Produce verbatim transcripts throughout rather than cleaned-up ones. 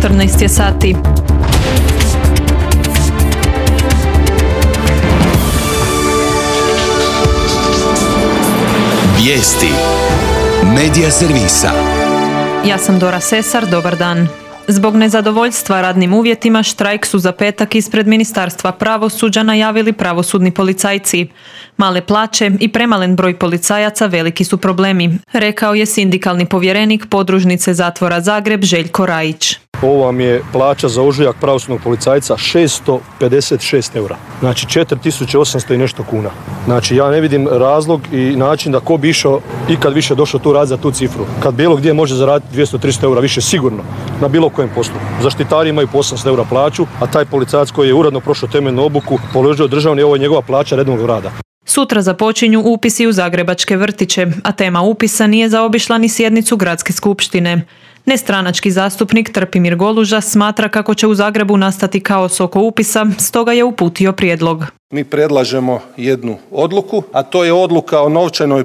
četrnaest je sati. Vijesti Medija servisa. Ja sam Dora Sesar, dobar dan. Zbog nezadovoljstva radnim uvjetima štrajk su za petak ispred Ministarstva pravosuđa najavili pravosudni policajci. Male plaće i premalen broj policajaca veliki su problemi, rekao je sindikalni povjerenik podružnice zatvora Zagreb Željko Rajić. Ovo vam je plaća za ožujak pravosudnog policajca šesto pedeset šest eura. Znači četiri tisuće osamsto i nešto kuna. Znači ja ne vidim razlog i način da ko bi išao ikad više došao tu raditi za tu cifru. Kad bilo gdje može zaraditi dvjesto do tristo eura više sigurno na bilo kojem poslu. Zaštitari imaju po osamsto eura plaću, a taj policajac koji je uredno prošao temeljnu obuku, položio državni, ovo je njegova plaća redovnog rada. Sutra započinju upisi u zagrebačke vrtiće, a tema upisa nije zaobišla ni sjednicu gradske skupštine. Nestranački zastupnik Trpimir Goluža smatra kako će u Zagrebu nastati kaos oko upisa, stoga je uputio prijedlog. Mi predlažemo jednu odluku, a to je odluka o novčanoj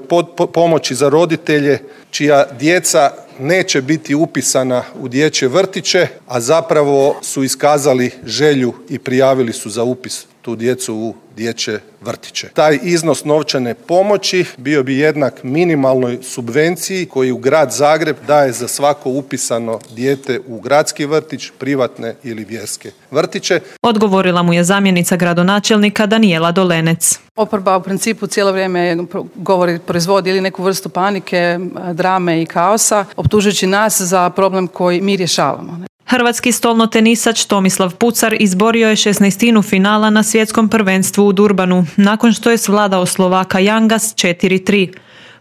pomoći za roditelje čija djeca neće biti upisana u dječje vrtiće, a zapravo su iskazali želju i prijavili su za upis tu djecu u dječje vrtiće. Taj iznos novčane pomoći bio bi jednak minimalnoj subvenciji koju grad Zagreb daje za svako upisano dijete u gradski vrtić, privatne ili vjerske vrtiće. Odgovorila mu je zamjenica gradonačelnika Danijela Dolenec. Oporba u principu cijelo vrijeme govori, proizvodi ili neku vrstu panike, drame i kaosa, optužujući nas za problem koji mi rješavamo. Hrvatski stolnotenisač Tomislav Pucar izborio je šesnaestinu finala na svjetskom prvenstvu u Durbanu, nakon što je svladao Slovaka Jangas četiri tri.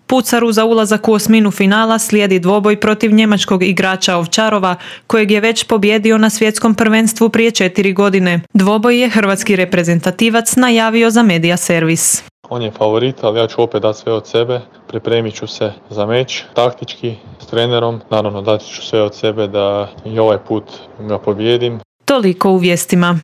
Pucaru za ulazak u osminu finala slijedi dvoboj protiv njemačkog igrača Ovčarova, kojeg je već pobjedio na svjetskom prvenstvu prije četiri godine. Dvoboj je hrvatski reprezentativac najavio za Medija servis. On je favorit, ali ja ću opet dati sve od sebe, pripremit ću se za meč, taktički, s trenerom, naravno dati ću sve od sebe da i ovaj put ga pobijedim. Toliko u vijestima.